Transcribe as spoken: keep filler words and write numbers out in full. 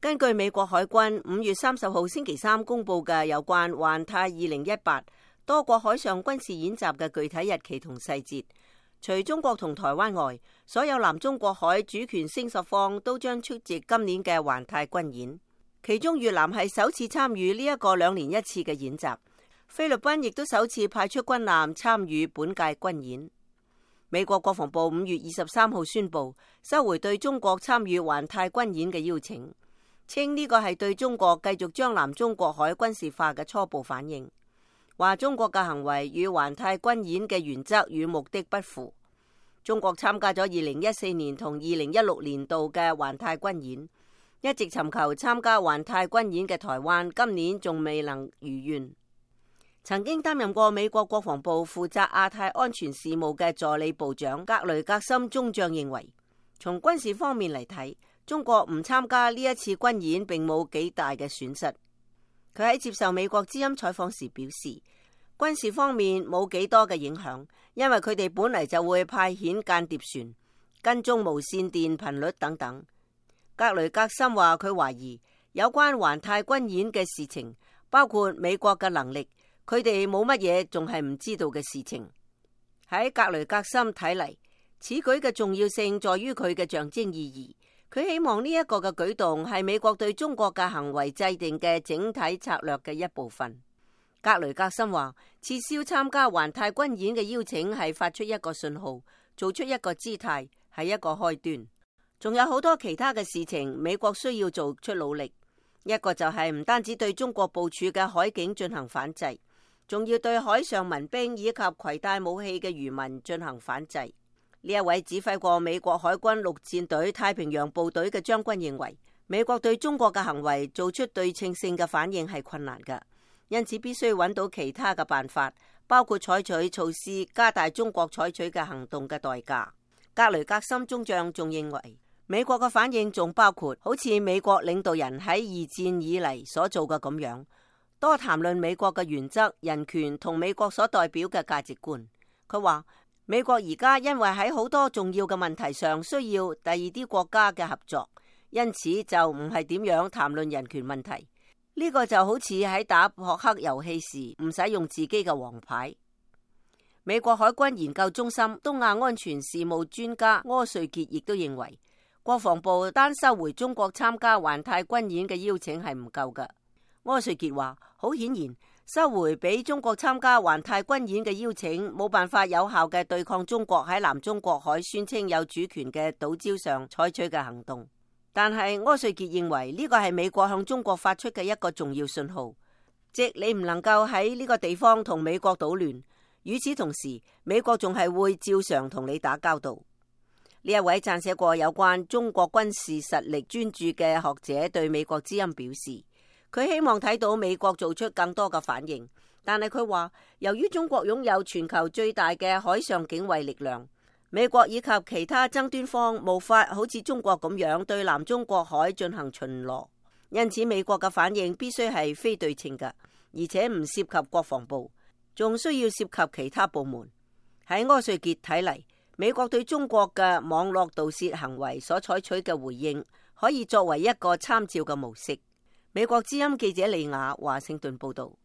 根據美國海軍五月三十號星期三公布嘅有關環太二零一八多國海上軍事演習嘅具體日期同細節，除中國同台灣外，所有南中國海主權聲索方都將出席今年嘅環太軍演。其中越南係首次參與呢一個兩年一次嘅演習，菲律賓亦都首次派出軍艦參與本屆軍演。美國國防部五月二十三號宣布收回對中國參與環太軍演嘅邀請，稱呢個係對中國繼續將南中國海軍事化嘅初步反應，話中國嘅行為與環太軍演嘅原則與目的不符。中國參加咗二零一四年同二零一六年度嘅環太軍演，一直尋求參加環太軍演嘅台灣今年仲未能如願。曾經擔任過美國國防部負責亞太安全事務嘅助理部長格雷格森中將認為，從軍事方面嚟睇，中國唔參加呢一次軍演並冇幾大嘅損失。佢喺接受美國之音採訪時表示，軍事方面冇幾多嘅影響，因為佢哋本嚟就會派遣間諜船、跟蹤無線電頻率等等。格雷格森話佢懷疑有關環太軍演嘅事情，包括美國嘅能力，佢哋冇乜嘢仲係唔知道嘅事情。喺格雷格森睇嚟，此舉嘅重要性在於佢嘅象徵意義。佢希望呢一個嘅舉動係美國對中國嘅行為制定嘅整體策略嘅一部分。格雷格森話，撤銷參加環太軍演嘅邀請係發出一個信號，做出一個姿態，係一個開端。仲有好多其他嘅事情，美國需要做出努力。一個就係唔單止對中國部署嘅海警進行反制，仲要對海上民兵以及攜帶武器嘅漁民進行反制。呢一位指揮過美國海軍陸戰隊太平洋部隊嘅將軍認為，美國對中國嘅行為做出對稱性嘅反應係困難㗎，因此必須揾到其他嘅辦法，包括採取措施加大中國採取嘅行動嘅代價。格雷格森中將仲認為，美國嘅反應仲包括好似美國領導人喺二戰以嚟所做嘅咁樣，多談論美國嘅原則、人權同美國所代表嘅價值觀。佢話美國而家因為喺好多重要嘅問題上需要第二啲國家嘅合作，因此就唔係點樣談論人權問題。呢個就好似喺打撲克遊戲時唔使用自己嘅王牌。美國海軍研究中心東亞安全事務專家柯瑞傑亦都認為，國防部單收回中國參加環太軍演嘅邀請係唔夠㗎。柯瑞傑話，好顯然，收回俾中國參加環太軍演嘅邀請，冇辦法有效嘅對抗中國喺南中國海宣稱有主權嘅島礁上採取嘅行動。但係柯瑞傑認為呢個係美國向中國發出嘅一個重要信號，即你唔能夠喺呢個地方同美國搗亂。與此同時，美國仲係會照常同你打交道。呢一位撰寫過有關中國軍事實力專著嘅學者對美國之音表示，佢希望睇到美國做出更多嘅反應，但係佢話，由於中國擁有全球最大嘅海上警衛力量，美國以及其他爭端方無法好似中國咁樣對南中國海進行巡邏，因此美國嘅反應必須係非對稱嘅，而且唔涉及國防部，仲需要涉及其他部門。喺柯瑞傑睇嚟，美國對中國嘅網絡盜竊行為所採取嘅回應，可以作為一個參照嘅模式。美國之音記者李雅華盛頓報道。